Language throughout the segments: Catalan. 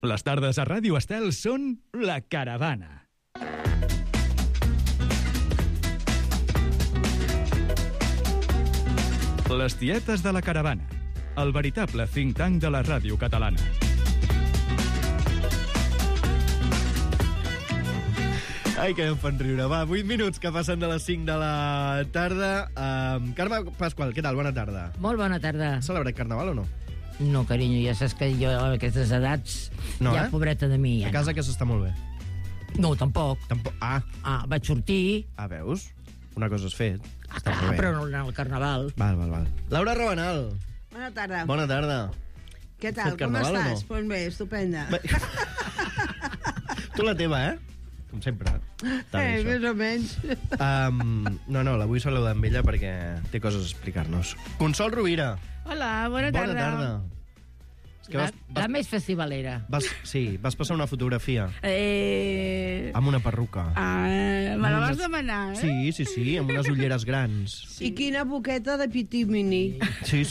Les tardes a Ràdio Estel són La Caravana. Les tietes de La Caravana, el veritable think tank de la ràdio catalana. Ai, que em fan riure. Va, 8 minuts que passen de les 5 de la tarda. Carme Pasqual, què tal? Bona tarda. Molt bona tarda. Has celebrat Carnaval o no? No, carinyo, ja saps que jo a aquestes edats, No, ja pobreta de mi. Ja A casa que s'està molt bé. No, tampoc. Vaig sortir... Veus? Una cosa has fet. Està molt bé. Però no al Carnaval. Val. Laura Rabanal. Bona tarda. Bona tarda. Què tal? Com Carnaval estàs? o no? Pues bé, estupenda. Tu la teva, Com sempre. Més o menys. No, la vull saludar amb ella perquè té coses a explicar-nos. Consol Rovira. Hola, bona tarda. Bona tarda. És que La més festivalera. vas passar una fotografia amb una perruca. Me la vas demanar, Sí, amb unes ulleres grans. I quina boqueta de pitimini. Sí.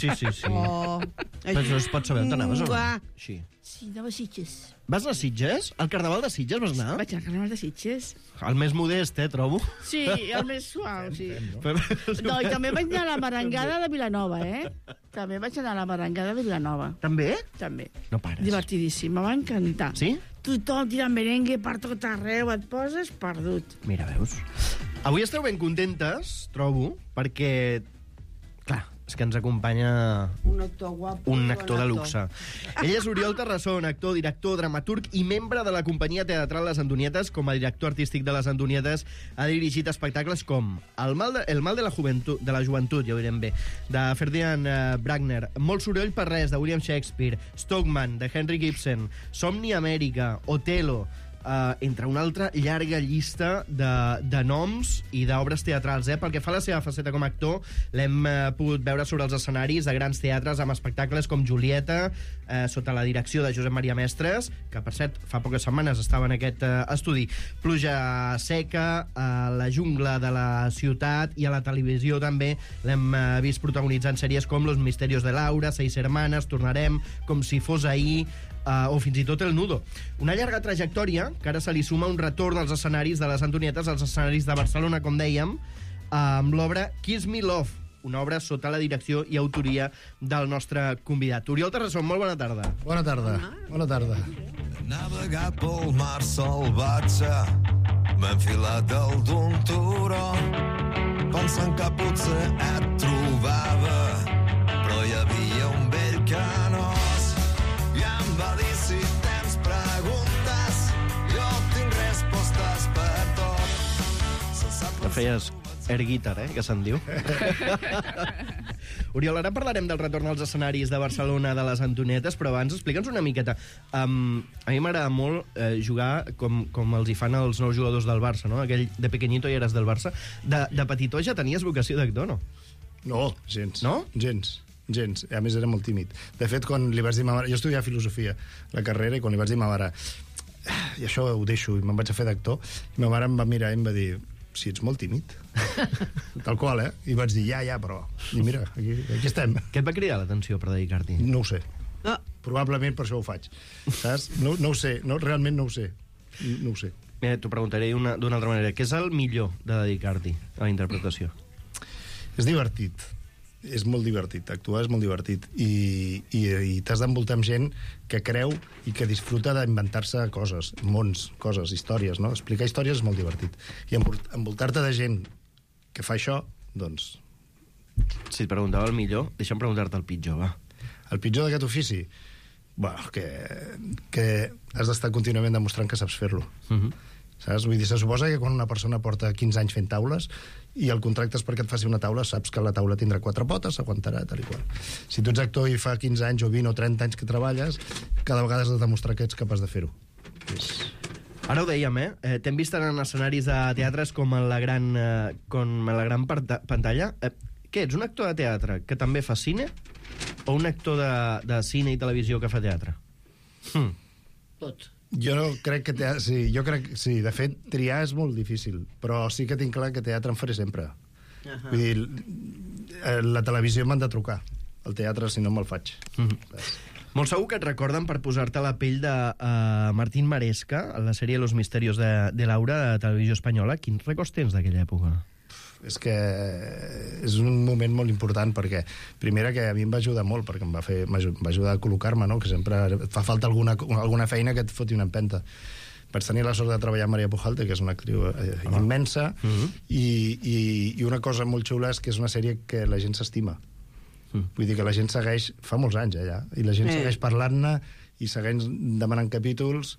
Oh. Però es pot saber on anaves o no? Sí. Sí, anava a Sitges. Vas anar a Sitges? Al Carnaval de Sitges vas anar? Vaig anar al Carnaval de Sitges. El més modest, trobo. Sí, el més suau, sí. Però... No, i també vaig anar a la merengada de Vilanova, També vaig anar a la merengada de Vilanova. També? També. No pares. Divertidíssim, me va encantar. Sí? Tothom tirant merengue per tot arreu, et poses perdut. Mira, veus? Avui esteu ben contentes, trobo, perquè... Clar, és que ens acompanya Un actor guapo. un actor de luxe. Ell és Oriol Terrasson, actor, director, dramaturg i membre de la companyia teatral Les Antonietes. Com a director artístic de Les Antonietes ha dirigit espectacles com El mal de la joventut, ja ho direm bé, de Ferdinand Bruckner, Molt soroll per res, de William Shakespeare, Stockman, de Henry Gibson, Somni Amèrica, Otelo, entre una altra llarga llista de noms i d'obres teatrals. Pel que fa a la seva faceta com a actor, l'hem pogut veure sobre els escenaris de grans teatres amb espectacles com Julieta, sota la direcció de Josep Maria Mestres, que per cert fa poques setmanes estava en aquest estudi, Pluja seca, La jungla de la ciutat, i a la televisió també l'hem vist protagonitzant sèries com Los misterios de Laura, Seis hermanas, Tornarem, Com si fos ahir, o fins i tot El nudo. Una llarga trajectòria que ara se li suma un retorn als escenaris de Les Antonietes, als escenaris de Barcelona, com dèiem, amb l'obra Kiss Me Love, una obra sota la direcció i autoria del nostre convidat. Oriol Terrasson, molt bona tarda. Bona tarda. Bona tarda. He navegat pel mar salvatge, m'he enfilat dalt d'un turó, pensant que potser et trobava, però hi havia un vell canós i em va dir: si tens preguntes, jo tinc respostes per tot. Que feies air guitar, que se'n diu. Oriol, ara parlarem del retorn als escenaris de Barcelona de Les Antonietes, però abans explica'ns una miqueta. A mi m'agrada molt jugar com els hi fan els nous jugadors del Barça, no? Aquell de pequeñito i eres del Barça. De petitó ja tenies vocació d'actor, no? No, gens. No? Gens. A més, era molt tímid. De fet, quan li vaig dir a ma mare... Jo estudiava filosofia, la carrera, i quan li vaig dir a ma mare i això ho deixo, i me'n vaig a fer d'actor, i ma mare em va mirar i em va dir: si ets molt tímid. Tal qual, I vaig dir, ja, però... I mira, aquí estem. Què et va cridar l'atenció per dedicar-t'hi? No ho sé. Probablement per això ho faig. Saps? No ho sé. Realment no ho sé. No ho sé. Mira, t'ho preguntaré d'una altra manera. Què és el millor de dedicar-t'hi a la interpretació? És divertit. És molt divertit, actuar és molt divertit, i t'has d'envoltar amb gent que creu i que disfruta d'inventar-se coses, mons, coses, històries, no? Explicar històries és molt divertit, i envoltar-te de gent que fa això, doncs... Si et preguntava el millor, deixa'm preguntar-te el pitjor, va. El pitjor d'aquest ofici? Bueno, que has d'estar contínuament demostrant que saps fer-lo. Saps? Vull dir, se suposa que quan una persona porta 15 anys fent taules i el contracte és perquè et faci una taula, saps que la taula tindrà 4 potes, s'aguantarà, tal i qual. Si tu ets actor i fa 15 anys o 20 o 30 anys que treballes, cada vegada has de demostrar que ets capaç de fer-ho. Ara ho dèiem, t'hem vist en escenaris de teatres com a la gran pantalla. Què, ets un actor de teatre que també fa cine o un actor de cine i televisió que fa teatre? Tot. Jo crec que sí, de fet triar és molt difícil, però sí que tinc clar que teatre em faré sempre. Vull dir, la televisió m'han de trucar, el teatre si no me'l faig. Molt segur que et recorden per posar-te a la pell de Martín Maresca, a la sèrie Los misterios de Laura, de Televisió Espanyola. Quins records tens d'aquella època? És que és un moment molt important, perquè primera que a mi em va ajudar molt, perquè em va ajudar a col·locar-me, no? Que sempre fa falta alguna feina que et foti una empenta. Vaig tenir la sort de treballar amb Maria Pujalte, que és una actriu immensa, i una cosa molt xula és que és una sèrie que la gent s'estima. Vull dir que la gent segueix, fa molts anys allà, i la gent segueix parlant-ne i segueix demanant capítols,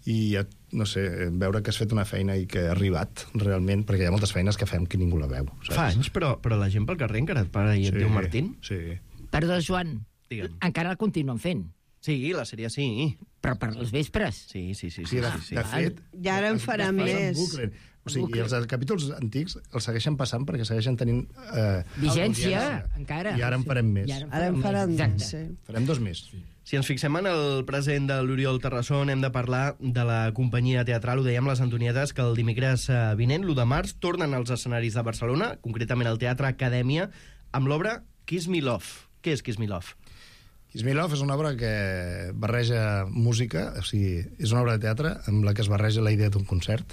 i no sé, veure que has fet una feina i que ha arribat realment, perquè hi ha moltes feines que fem que ningú la veu, saps? Fa anys, però la gent pel carrer encara et para i et diu Martín? Sí. Perdó, Joan, Digue'm. encara el continuen fent, Sí, la sèrie sí. però per les vespres. Sí. De fet... I ara en farà més. O sigui, els capítols antics els segueixen passant perquè segueixen tenint... Vigència, audiència. encara. I ara en farem més. Ara en faran Exacte. més, sí. Farem 2 més. Si ens fixem en el present de l'Oriol Terrasson, hem de parlar de la companyia teatral, ho dèiem, les Antonietes, que el dimecres vinent, l'1 de març, tornen als escenaris de Barcelona, concretament al Teatre Acadèmia, amb l'obra Kiss Me Love. Què és Kiss Me Love? Kiss Me Love és una obra que barreja música, o sigui, és una obra de teatre amb la que es barreja la idea d'un concert.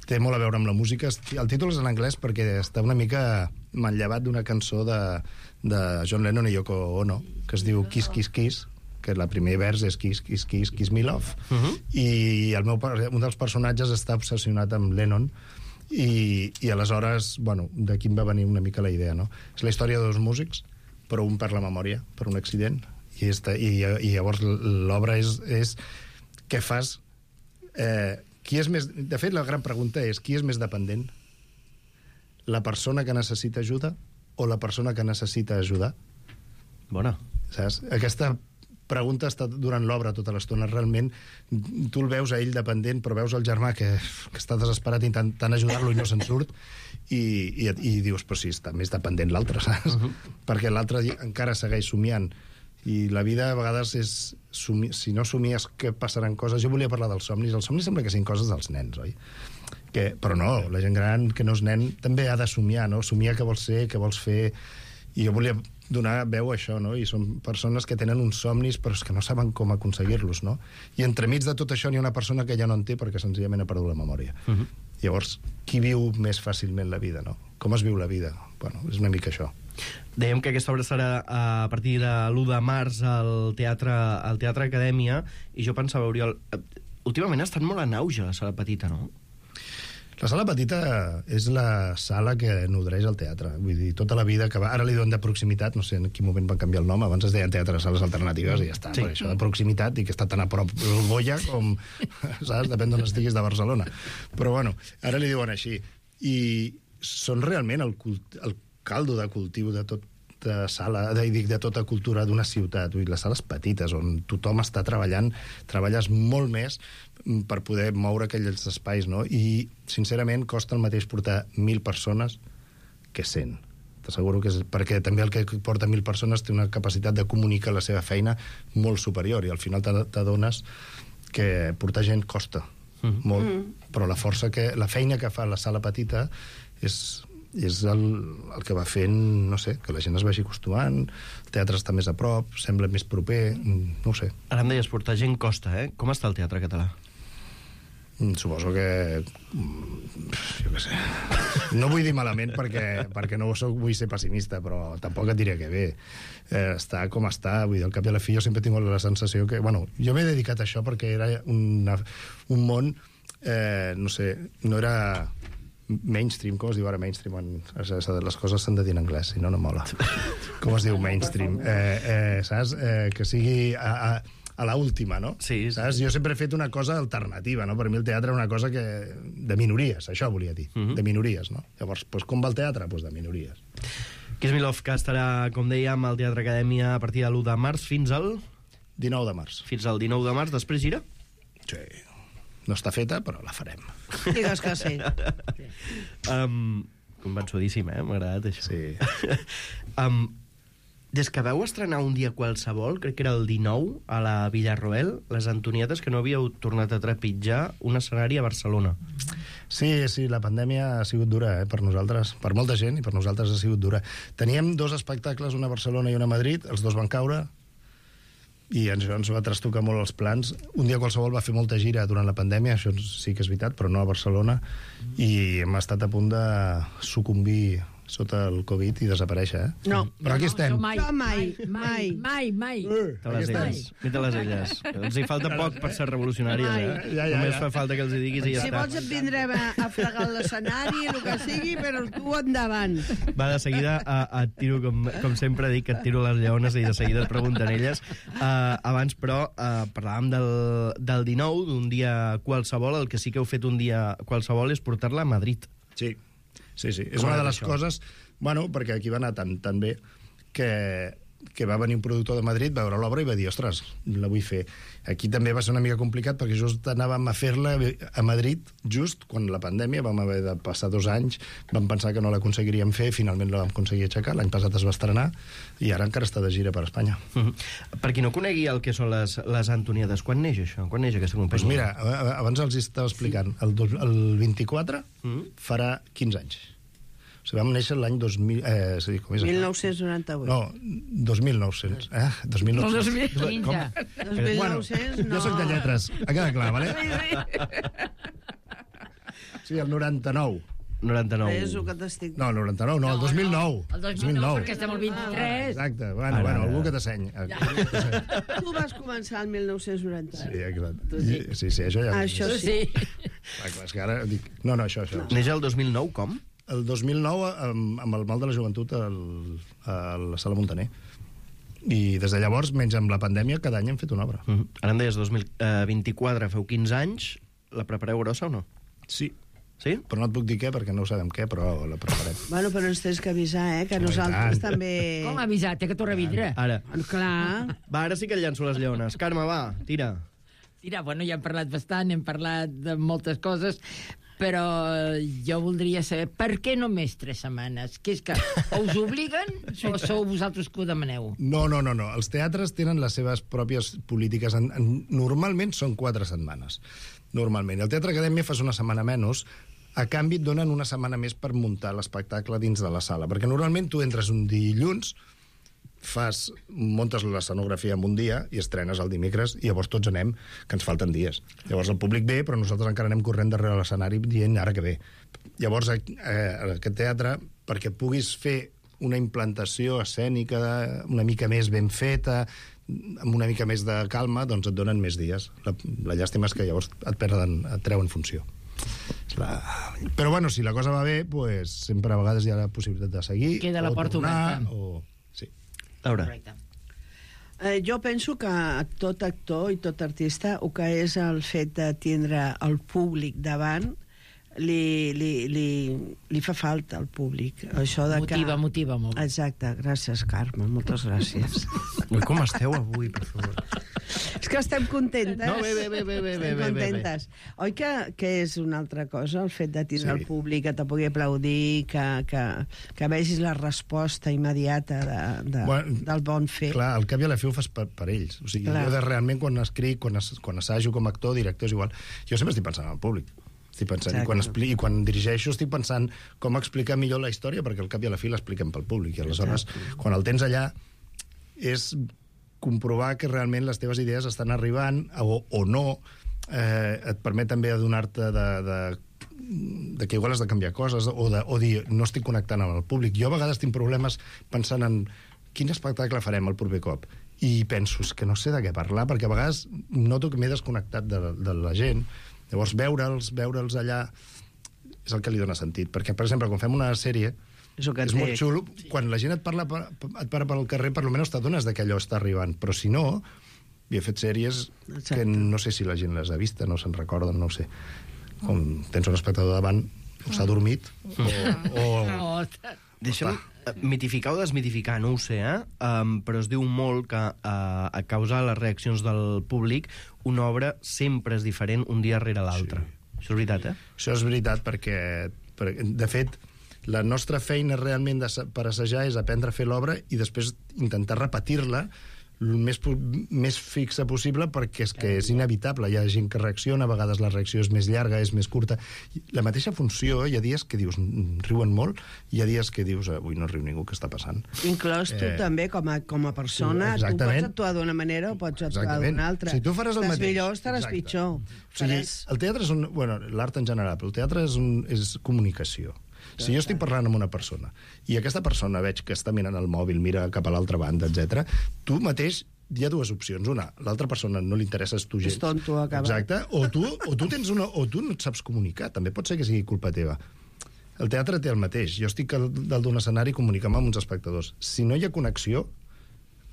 Té molt a veure amb la música. El títol és en anglès perquè està una mica manllevat d'una cançó de John Lennon i Yoko Ono, que es diu Kiss, Kiss, Kiss, que el primer vers és Kiss, Kiss, Kiss, Kiss Me Love. I un dels personatges està obsessionat amb Lennon, i aleshores, bueno, d'aquí em va venir una mica la idea, no? És la història de 2 músics, però un perd la memòria per un accident, i llavors l'obra és què fas? Qui és més... De fet, la gran pregunta és qui és més dependent? La persona que necessita ajuda o la persona que necessita ajudar? Bona. Saps? Aquesta pregunta està durant l'obra tota l'estona. Realment, tu el veus a ell dependent, però veus el germà que està desesperat intentant ajudar-lo i no se'n surt, i dius, però sí, està més dependent l'altre, saps? Perquè l'altre encara segueix somiant. I la vida a vegades és... Si no somies que passaran coses... Jo volia parlar dels somnis. Els somnis sembla que siguin coses dels nens, oi? Però no, la gent gran que no és nen també ha de somiar, no? Somiar què vols ser, què vols fer... I jo volia donar veu a això, no? I són persones que tenen uns somnis però és que no saben com aconseguir-los, no? I entremig de tot això n'hi ha una persona que ja no en té perquè senzillament ha perdut la memòria. Llavors, qui viu més fàcilment la vida, no? Com es viu la vida? Bueno, és una mica això. Dèiem que aquesta obra serà a partir de l'1 de març al Teatre Acadèmia, i jo pensava, Oriol, últimament ha estat molt en auge la sala petita, no? La sala petita és la sala que nodreix el teatre. Vull dir, tota la vida que va... Ara li diuen de proximitat, no sé en quin moment van canviar el nom, abans es deien teatre de sales alternatives i ja està. Sí. Això de proximitat i que està tan a prop el Goya com... Saps? Depèn d'on estiguis de Barcelona. Però bueno, ara li diuen així. I són realment el caldo de cultiu de tota sala, de tota cultura d'una ciutat. Vull dir, les sales petites on tothom està treballant, treballes molt més per poder moure aquells espais, no? I, sincerament, costa el mateix portar 1.000 persones que 100. T'asseguro que és... Perquè també el que porta 1.000 persones té una capacitat de comunicar la seva feina molt superior, i al final t'adones que portar gent costa molt, però la feina que fa la sala petita és el que va fent, no sé, que la gent es vagi acostumant, el teatre està més a prop, sembla més proper, no ho sé. Ara em deies, portar gent costa, eh? Com està el teatre català? Suposo que... jo què sé. No vull dir malament perquè no vull ser pessimista, però tampoc et diré que bé. Està com està, vull dir, al cap i a la fi jo sempre he tingut la sensació que... Bueno, jo m'he dedicat a això perquè era un món, no sé, no era... mainstream, com es diu ara mainstream? Les coses s'han de dir en anglès, si no, no mola. Com es diu mainstream? Saps? Que sigui a la última, no? Sí. Saps? Jo sempre he fet una cosa alternativa, no? Per mi el teatre era una cosa de minories, això volia dir, de minories, no? Llavors, com va el teatre? De minories. Kiss Me Love, que estarà, com dèiem, al Teatre Acadèmia a partir de l'1 de març fins al... 19 de març. Fins al 19 de març, després gira? Sí. No està feta, però la farem. Digues que sí. Convençudíssim, m'ha agradat això. Sí. Des que vau estrenar un dia qualsevol, crec que era el 19, a la Villarroel, les Antonietes, que no havíeu tornat a trepitjar un escenari a Barcelona. Sí, la pandèmia ha sigut dura, per nosaltres, per molta gent, i per nosaltres ha sigut dura. Teníem 2 espectacles, una a Barcelona i una a Madrid, els 2 van caure, i ens va trastocar molt els plans. Un dia qualsevol va fer molta gira durant la pandèmia, això sí que és veritat, però no a Barcelona, i hem estat a punt de sucumbir sota el Covid i desaparèixer, No. Però aquí estem. Mai. No, mai. De les elles. Mira les elles. Els hi falta poc per ser revolucionàries, eh? Ja. Només fa falta que els hi diguis i ja Si està. vols et vindrem a fregar l'escenari, el que sigui, però tu endavant. Va, de seguida et tiro, com sempre dic, que et tiro les lleones i de seguida et pregunten elles. Abans, però, parlàvem del 19, d'un dia qualsevol. El que sí que heu fet un dia qualsevol és portar-la a Madrid. Sí. És Com una ha de anat les això? coses... Bueno, perquè aquí va anar tan bé que va venir un productor de Madrid, va veure l'obra i va dir, ostres, la vull fer. Aquí també va ser una mica complicat perquè just anàvem a fer-la a Madrid just quan la pandèmia, vam haver de passar 2 anys, vam pensar que no l'aconseguiríem fer, finalment la vam aconseguir aixecar, l'any passat es va estrenar i ara encara està de gira per Espanya. Per qui no conegui el que són les Antoniades, quan neix això? Quan neix aquesta companyia? Doncs mira, abans els estava explicant, el 24 farà 15 anys. O sigui, vam néixer l'any 2000... sí, com és això? 1998. No, 2900. 2900. 15. Bueno, 1900, no. jo soc de lletres, ha quedat clar, vale? Sí, el 99. 99. És el que t'estic... No, el 99, no, el 2009. El 2009, perquè estem al 23. Exacte, bueno, algú que t'asseny. Tu vas començar el 1990. Sí, exacte. Sí, això ja... Això Sí. Clar, és que ara dic... No, això. Neix el 2009, com? El 2009, amb el mal de la joventut a la Sala Montaner. I des de llavors, menys amb la pandèmia, cada any hem fet una obra. Ara em deies 2024, feu 15 anys. La prepareu grossa o no? Sí. Sí? Però no et puc dir què, perquè no ho sabem què, però la preparem. Bueno, però ens tens que avisar, que nosaltres també... Com ha avisat? Té que tornar a vindre. Ara. Clar. Va, ara sí que llanço les lleones. Carme, va, tira. Mira, bueno, ja hem parlat bastant, hem parlat de moltes coses, però jo voldria saber per què només 3 setmanes? Que és que o us obliguen o sou vosaltres que ho demaneu? No. Els teatres tenen les seves pròpies polítiques. Normalment són 4 setmanes. Normalment. El Teatre Acadèmia fas una setmana menys, a canvi et donen una setmana més per muntar l'espectacle dins de la sala. Perquè normalment tu entres un dilluns, muntes l'escenografia en un dia i estrenes el dimecres i llavors tots anem, que ens falten dies. Llavors el públic ve, però nosaltres encara anem corrent darrere l'escenari dient ara que ve. Llavors aquest teatre, perquè puguis fer una implantació escènica una mica més ben feta, amb una mica més de calma, doncs et donen més dies. La llàstima és que llavors et treuen funció. Però bueno, si la cosa va bé, pues, sempre a vegades hi ha la possibilitat de seguir. Queda la porta oberta. Sí. Laura. Jo penso que tot actor i tot artista, el que és el fet de tindre el públic davant, li fa falta al públic. Això de Motiva molt. Exacte, gràcies, Carme, moltes gràcies. Ui, com esteu avui, per favor? És que estem contentes. No, bé. Estem contentes. Oi que és una altra cosa, el fet de tindre el públic, que te pugui aplaudir, que vegis la resposta immediata del bon fet. Clar, al cap i a la fi ho fas per ells. O sigui, jo realment quan escric, quan assajo com a actor, director, és igual. Jo sempre estic pensant en el públic. Estic pensant, i quan dirigeixo estic pensant com explicar millor la història, perquè al cap i a la fi l'expliquem pel públic. I aleshores, quan el tens allà, és comprovar que realment les teves idees estan arribant o no. Et permet també adonar-te de que igual has de canviar coses o dir, no estic connectant amb el públic. Jo a vegades tinc problemes pensant en quin espectacle farem el proper cop. I penso, que no sé de què parlar, perquè a vegades noto que m'he desconnectat de la gent. Llavors, veure'ls allà és el que li dona sentit. Perquè, per exemple, quan fem una sèrie, és molt xulo. Quan la gent et para pel carrer, per almenys t'adones que allò està arribant. Però si no, jo he fet sèries que no sé si la gent les ha vist, no se'n recorden, no ho sé. Com tens un espectador davant, o s'ha dormit, o... Deixa'm mitificar o desmitificar, no ho sé, però es diu molt que a causa de les reaccions del públic una obra sempre és diferent un dia rere l'altre. Sí. Això és veritat, Això és veritat perquè de fet, la nostra feina realment per assajar és aprendre a fer l'obra i després intentar repetir-la el més fixa possible, perquè és que és inevitable. Hi ha gent que reacciona, a vegades la reacció és més llarga, és més curta. La mateixa funció, hi ha dies que dius riuen molt, i hi ha dies que dius avui no riu ningú, què està passant? Inclòs tu també, com a persona, tu pots actuar d'una manera o pots actuar d'una altra. Si tu faràs el mateix... Estàs millor o estaràs pitjor. O sigui, el teatre és l'art en general, però el teatre és comunicació. Si jo estic parlant amb una persona i aquesta persona veig que està mirant el mòbil, mira cap a l'altra banda, etc., tu mateix hi ha dues opcions. Una, l'altra persona no li interesses tu gens. És tonto, acaba. Exacte. O tu no et saps comunicar. També pot ser que sigui culpa teva. El teatre té el mateix. Jo estic dalt d'un escenari comunicant amb uns espectadors. Si no hi ha connexió,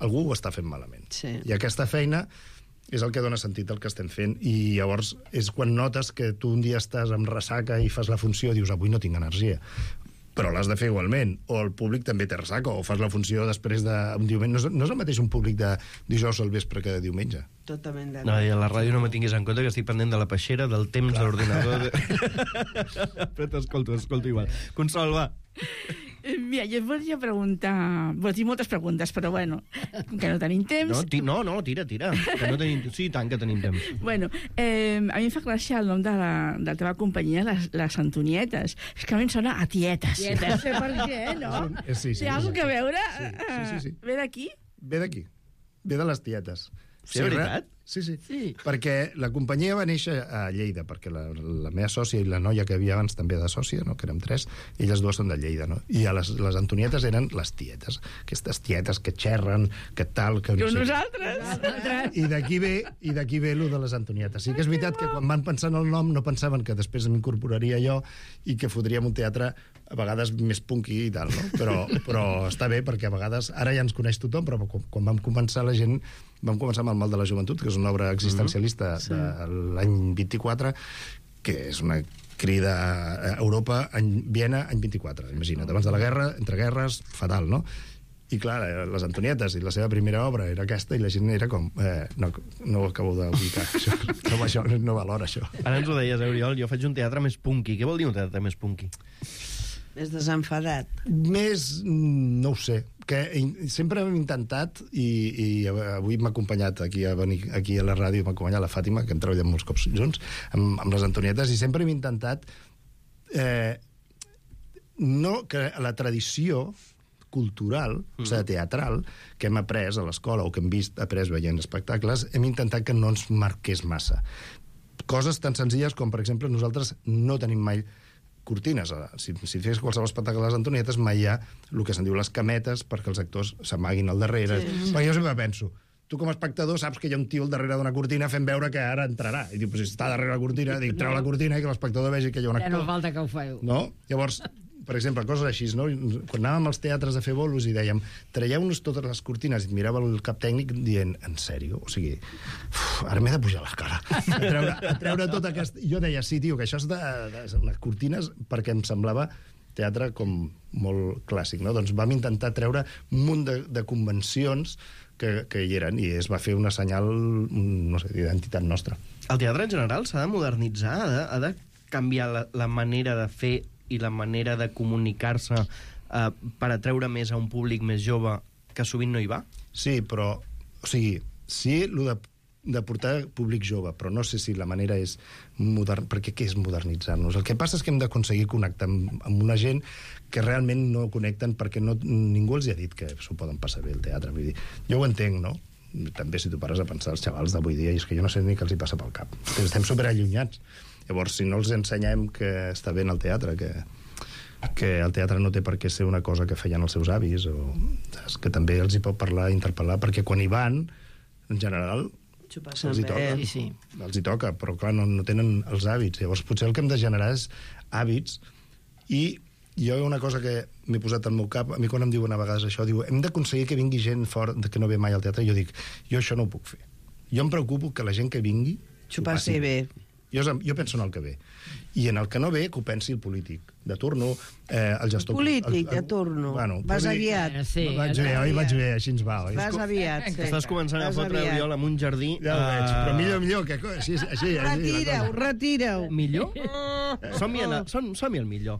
algú ho està fent malament. Sí. I aquesta feina és el que dona sentit al que estem fent, i llavors és quan notes que tu un dia estàs amb ressaca i fas la funció i dius avui no tinc energia, però l'has de fer igualment, o el públic també té ressaca, o fas la funció després d'un diumenge. No és el mateix un públic de dijous al vespre que de diumenge. Totalment d'acord. No, i a la ràdio no me tinguis en compte que estic pendent de la peixera, del temps de l'ordinador... Però t'escolto igual. Consol, va. Mira, jo et volia preguntar... Bueno, tinc moltes preguntes, però bueno, que no tenim temps... No, tira. Que no tenim... Sí, tant que tenim temps. Bueno, a mi em fa gràcia el nom de la teva companyia, les Antonietes. És que a mi em sona a tietes. No sé per què, no? Sí. Té alguna cosa a veure? Sí. Ve d'aquí? Ve d'aquí. Ve de les tietes. Sí, veritat? Sí. Perquè la companyia va néixer a Lleida, perquè la meva sòcia i la noia que havia abans també de sòcia, no? Que érem 3, elles dues són de Lleida, no? I les Antonietes eren les tietes, aquestes tietes que xerren, que tal... Que no sé nosaltres! I d'aquí ve lo de les Antonietes. Sí que és veritat que quan van pensar en el nom no pensaven que després m'incorporaria jo i que fotríem un teatre a vegades més punky i tal, no? Però està bé, perquè a vegades... Ara ja ens coneix tothom, però quan vam començar la gent... Vam començar amb El mal de la joventut, que és una obra existencialista de l'any 24, que és una crida a Europa, Viena, any 24. Imagina't, abans de la guerra, entre guerres, fatal, no? I clar, les Antonietes i la seva primera obra era aquesta, i la gent era com... no ho acabo d'ubicar, això no valora, això. Ara ens ho deies, Oriol, jo faig un teatre més punky. Què vol dir un teatre més punky? Més desenfadat. Més... no ho sé. Que sempre hem intentat, i avui m'ha acompanyat aquí a la ràdio, m'ha acompanyat la Fàtima, que hem treballat molts cops junts, amb les Antonietes, i sempre hem intentat que la tradició cultural, o sigui, teatral, que hem après a l'escola o que hem après veient espectacles, hem intentat que no ens marqués massa. Coses tan senzilles com, per exemple, nosaltres no tenim mai cortines. Si fes qualsevol espectacle de les Antonietes, mai hi ha el que se'n diu les cametes perquè els actors s'amaguin al darrere. Sí. Perquè jo sempre penso, tu com a espectador saps que hi ha un tio al darrere d'una cortina fent veure que ara entrarà. I diu, si està darrere la cortina, treu la cortina i que l'espectador vegi que hi ha un actor. Ja no falta que ho feu. No? Llavors, per exemple, coses així, no? Quan anàvem als teatres a fer bolos i dèiem, traieu-nos totes les cortines, i et mirava el cap tècnic dient, en sèrio? O sigui, ara m'he de pujar l'escala. A treure tot aquest... Jo deia, sí, tio, que això és de les cortines, perquè em semblava teatre com molt clàssic, no? Doncs vam intentar treure un munt de convencions que hi eren, i es va fer una senyal, no sé, d'identitat nostra. El teatre en general s'ha de modernitzar, ha de canviar la manera de fer i la manera de comunicar-se per atreure més a un públic més jove que sovint no hi va? Sí, però... O sigui, sí, el de portar públic jove, però no sé si la manera és perquè què és modernitzar-nos? El que passa és que hem d'aconseguir connectar amb una gent que realment no connecten perquè ningú els ha dit que s'ho poden passar bé el teatre. Vull dir, jo ho entenc, no? També si tu pares a pensar els xavals d'avui dia, i és que jo no sé ni què els hi passa pel cap. Estem superallunyats. Llavors, si no els ensenyem que està bé en el teatre, que el teatre no té per què ser una cosa que feien els seus avis, o que també els hi pot parlar, interpel·lar, perquè quan hi van, en general, els hi toca. Sí. Els hi toca, però clar, no tenen els hàbits. Llavors, potser el que hem de generar és hàbits, i jo una cosa que m'he posat al meu cap, a mi quan em diuen a vegades això, diu, hem d'aconseguir que vingui gent fora que no ve mai al teatre, i jo dic, jo això no ho puc fer. Jo em preocupo que la gent que vingui s'ho passi bé. Jo penso en el que ve. I en el que no ve, que ho pensi el polític de turno, el gestor... Polític de turno. Bueno, vas aviat. Sí, vaig bé, així ens va, oi? Vas aviat, sí. Estàs començant a fotre Oriol amb un jardí... Ja ho veig, però millor que... Així. Retira-ho. Millor? Som-hi al millor.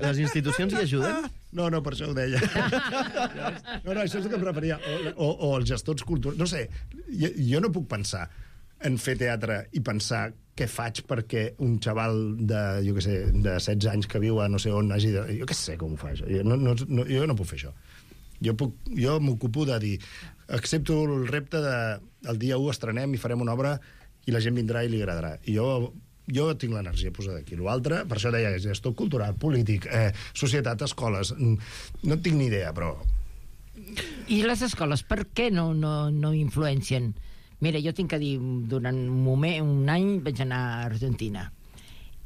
Les institucions hi ajuden? No, per això ho deia. No, això és el que em referia. O els gestors culturals. No sé, jo no puc pensar en fer teatre i pensar què faig perquè un xaval de 16 anys que viu a no sé on hagi de... Jo què sé com ho fa, això. Jo no puc fer això. Jo m'ocupo de dir... Accepto el repte de... El dia 1 estrenem i farem una obra i la gent vindrà i li agradarà. I jo tinc l'energia posada aquí. L'altre, per això deia, gestor cultural, polític, societat, escoles... No tinc ni idea, però... I les escoles, per què no influencien? Mira, jo tinc que dir, durant un any vaig anar a Argentina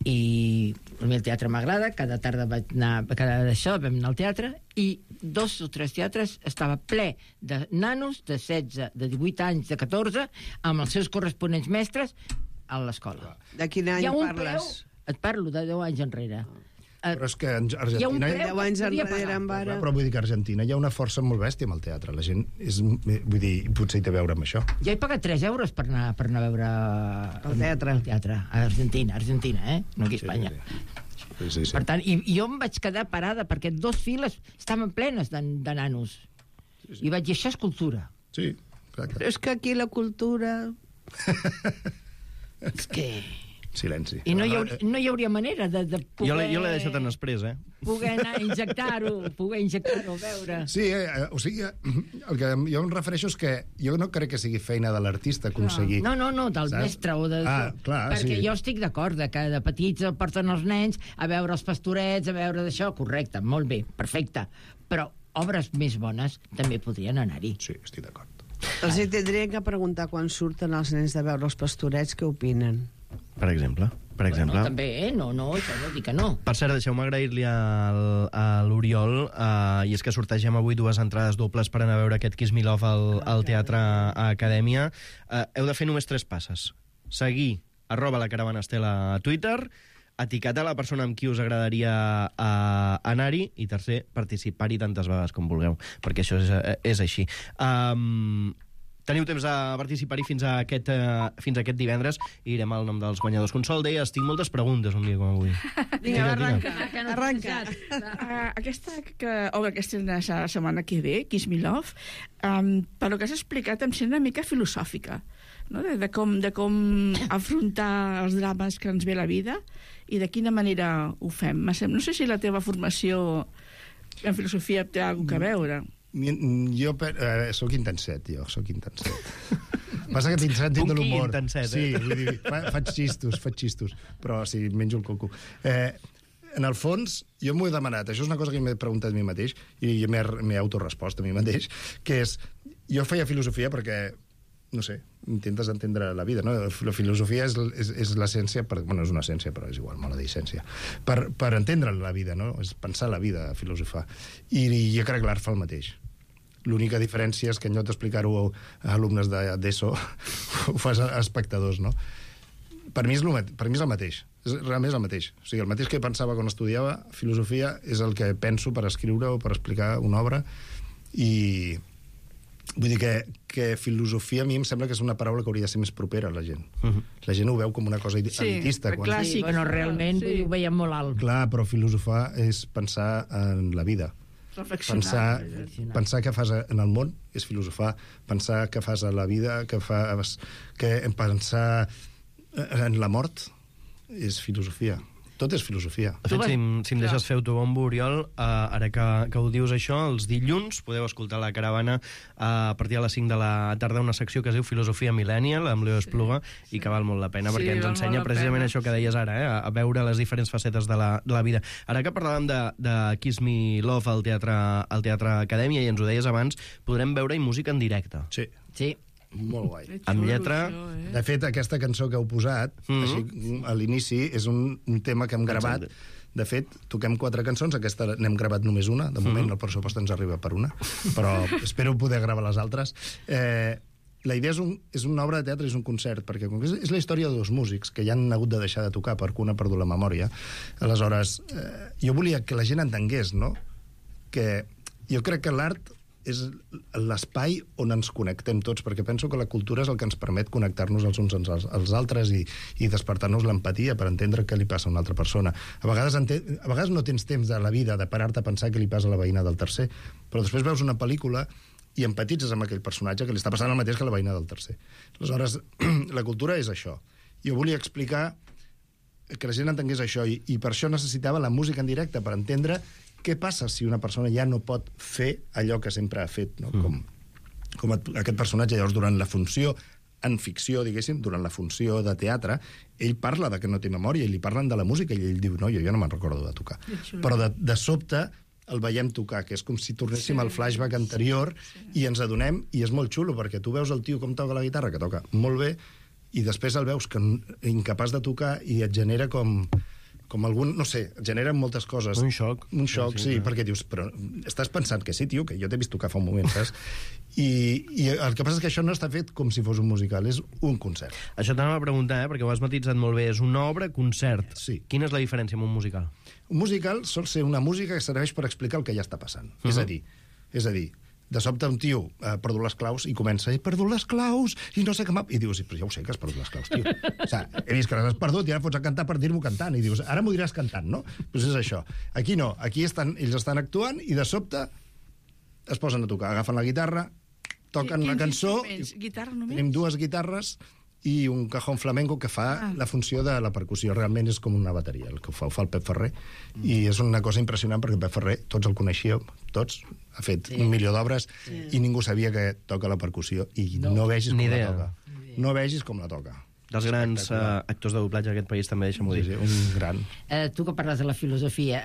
i a mi el teatre m'agrada, cada tarda vaig anar, cada d'això vam anar al teatre i 2 o 3 teatres estava ple de nanos de 16, de 18 anys, de 14, amb els seus corresponents mestres a l'escola. De quin any parles? Et parlo de 10 anys enrere. Però és que a Argentina... 10 anys enrere en vara... Però vull dir que a Argentina hi ha una força molt bèstia amb el teatre. La gent és... Vull dir, potser hi té a veure amb això. Jo he pagat 3 euros per anar a veure... El teatre. A Argentina, no aquí a Espanya. Sí. Per tant, i jo em vaig quedar parada perquè 2 files estaven plenes de nanos. I vaig dir, això és cultura. Sí, exacte. Però és que aquí la cultura... És que... Silenci. I no hi hauria manera de poder... Jo l'he deixat en després, Poder anar a injectar-ho, a veure... Sí, o sigui, el que jo em refereixo és que jo no crec que sigui feina de l'artista aconseguir... No, del mestre o de... clar, perquè sí. jo estic d'acord que de petits porten els nens a veure els pastorets, a veure d'això, correcte, molt bé, perfecte. Però obres més bones també podrien anar-hi. Sí, estic d'acord. Els hi tindrien que preguntar quan surten els nens de veure els pastorets què opinen. Per exemple. Bueno, també, no, això no dic que no. Per cert, deixeu-me agrair-li a l'Oriol, i és que sortegem avui 2 entrades dobles per anar a veure aquest Kiss Me Love al Teatre Acadèmia. Heu de fer només 3 passes. Seguir @laCaravanaStela a Twitter, etiquetar la persona amb qui us agradaria anar-hi, i tercer, participar-hi tantes vegades com vulgueu, perquè això és així. Teniu temps de participar-hi fins a aquest divendres i direm el nom dels guanyadors. Consol, deies, tinc moltes preguntes un dia com avui. Vinga, arranca. Aquesta obra que estrena la setmana que ve, Kiss Me Love, per lo que has explicat em sembla una mica filosòfica, no? de com afrontar els drames que ens ve la vida i de quina manera ho fem. No sé si la teva formació en filosofia té alguna cosa a veure. Jo soc intenset, Passa que tinc sentit de l'humor. Intenset, Sí, vull dir, faig xistos, però sí, menjo el coco. En el fons, jo m'ho he demanat, això és una cosa que m'he preguntat a mi mateix, i m'he autorespost a mi mateix, que és, jo feia filosofia perquè, no sé, intentes entendre la vida, no? La filosofia és l'essència, bueno, és una essència, però és igual, m'ho dir essència, per entendre la vida, no? És pensar la vida, filosofar. I jo crec que l'art fa el mateix. L'única diferència és que en lloc d'explicar-ho a alumnes d'ESO ho fas a espectadors, no? Per mi és el mateix. Realment és el mateix. O sigui, el mateix que pensava quan estudiava filosofia és el que penso per escriure o per explicar una obra, i vull dir que filosofia a mi em sembla que és una paraula que hauria de ser més propera a la gent. La gent ho veu com una cosa elitista. Sí, bueno, realment ho veiem molt alt. Clar, però filosofar és pensar en la vida. Pensar què fas en el món és filosofar. Pensar què fas a la vida, pensar en la mort és filosofia. Tot és filosofia. De fet, si em deixes fer autobombo, Oriol, ara que ho dius això, els dilluns podeu escoltar La Caravana a partir de les 5 de la tarda, una secció que es diu Filosofia Millennial, amb Leo Espluga, i que val molt la pena, perquè ens ensenya precisament això que deies ara, a veure les diferents facetes de la vida. Ara que parlàvem de Kiss Me Love al Teatre Acadèmia, i ens ho deies abans, podrem veure-hi música en directe. Sí. Molt guai. Amb lletra... De fet, aquesta cançó que heu posat, així, a l'inici, és un tema que hem gravat. De fet, toquem 4 cançons, aquesta n'hem gravat només una, de moment el pressupost ens arriba per una, però espero poder gravar les altres. la idea és una obra de teatre, és un concert, perquè com que és la història de dos músics que ja han hagut de deixar de tocar perquè un ha perdut la memòria. Aleshores, jo volia que la gent entengués, no?, que jo crec que l'art és l'espai on ens connectem tots, perquè penso que la cultura és el que ens permet connectar-nos els uns als altres i despertar-nos l'empatia per entendre què li passa a una altra persona. A vegades no tens temps de la vida de parar-te a pensar què li passa a la veïna del tercer, però després veus una pel·lícula i empatitzes amb aquell personatge que li està passant el mateix que la veïna del tercer. Aleshores, la cultura és això. Jo volia explicar que la gent entengués això i per això necessitava la música en directe, per entendre què passa si una persona ja no pot fer allò que sempre ha fet, no? Com aquest personatge, llavors, durant la funció en ficció, diguéssim, durant la funció de teatre, ell parla de que no té memòria i li parlen de la música i ell diu, no, jo no me'n recordo de tocar. Però de sobte el veiem tocar, que és com si tornéssim al flashback anterior i ens adonem, i és molt xulo, perquè tu veus el tio com toca la guitarra, que toca molt bé, i després el veus que incapaç de tocar i et genera com algun, no sé, et generen moltes coses. Un xoc. Un xoc, sí, perquè dius, però estàs pensant que sí, tio, que jo t'he vist tocar fa un moment, saps? I el que passa és que això no està fet com si fos un musical, és un concert. Això t'anava a preguntar, perquè ho has matitzat molt bé. És una obra concert. Sí. Quina és la diferència amb un musical? Un musical sol ser una música que serveix per explicar el que ja està passant. És a dir, de sobte un tio ha perdut les claus i comença, he perdut les claus, i no sé què m'ha... I dius, però ja ho sé que has perdut les claus, tio. O sigui, he vist que les has perdut i ara fots a cantar per dir-m'ho cantant. I dius, ara m'ho diràs cantant, no? Doncs és això. Aquí no. Aquí ells estan actuant i de sobte es posen a tocar. Agafen la guitarra, toquen una cançó... Guitarra només? Tenim dues guitarres i un cajón flamenco que fa la funció de la percussió. Realment és com una bateria, el que ho fa el Pep Ferrer. I és una cosa impressionant perquè Pep Ferrer, tots el coneixíeu, tots, ha fet 1 milió d'obres i ningú sabia que toca la percussió i no vegis com la toca. No vegis com la toca. Dels grans actors de doblatge d'aquest país, també, deixa'm-ho dir. Sí, un gran. Tu que parles de la filosofia,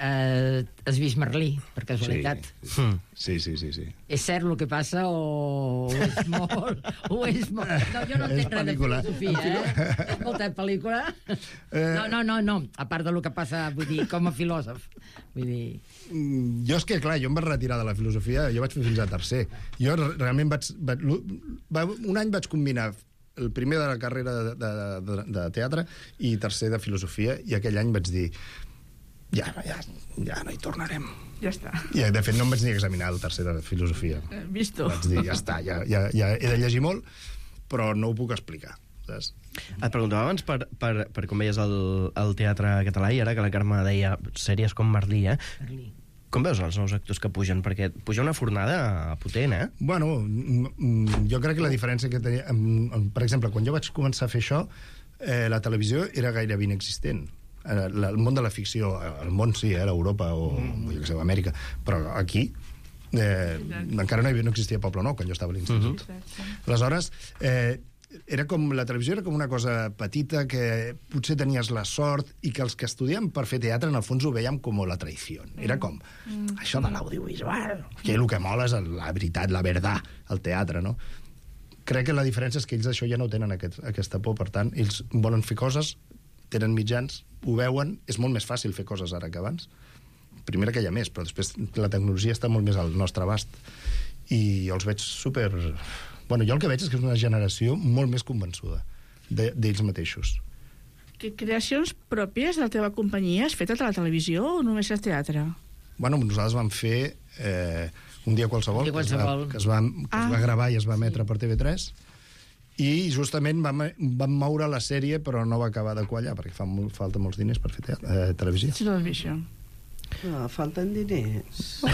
has vist Merlí, per casualitat? Sí. És cert el que passa o és molt... No, jo no entenc res de filosofia, És molta pel·lícula? No, a part del que passa, vull dir, com a filòsof. Vull dir... Jo és que, clar, jo em vaig retirar de la filosofia, jo vaig fer fins a tercer. Jo realment un any vaig combinar el primer de la carrera de teatre i tercer de filosofia, i aquell any vaig dir ja no hi tornarem. Ja està. I, de fet, no em vaig ni examinar el tercer de filosofia. Visto. Vaig dir, ja està, ja he de llegir molt, però no ho puc explicar. Saps? Et preguntava abans per com veies el teatre català, i ara que la Carme deia sèries com Merlí, Merlí. Com veus els nous actors que pugen? Perquè puja una fornada potent, Bueno, jo crec que la diferència que tenia... Per exemple, quan jo vaig començar a fer això, la televisió era gairebé inexistent. El món de la ficció, el món sí, l'Europa o jo que sé, Amèrica, però aquí encara no existia Poble Nou quan jo estava a l'institut. Aleshores, era com, la televisió era com una cosa petita que potser tenies la sort i que els que estudiem per fer teatre en el fons ho veiem com la traïció. Era com això de l'audiovisual, que el que mola és la veritat, la verdad, el teatre, no? Crec que la diferència és que ells això ja no tenen aquesta por, per tant, ells volen fer coses, tenen mitjans, ho veuen, és molt més fàcil fer coses ara que abans. Primera que hi ha més, però després la tecnologia està molt més al nostre abast i jo els veig super... Bueno, jo el que veig és que és una generació molt més convençuda d'ells mateixos. Que creacions pròpies de la teva companyia has fet a la televisió o només al teatre? Bueno, nosaltres vam fer Un dia qualsevol, que es va gravar i es va emetre per TV3, i justament vam moure la sèrie, però no va acabar de quallar, perquè falta molts diners per fer televisió. Sí, no l'has vist, això. No, falten diners.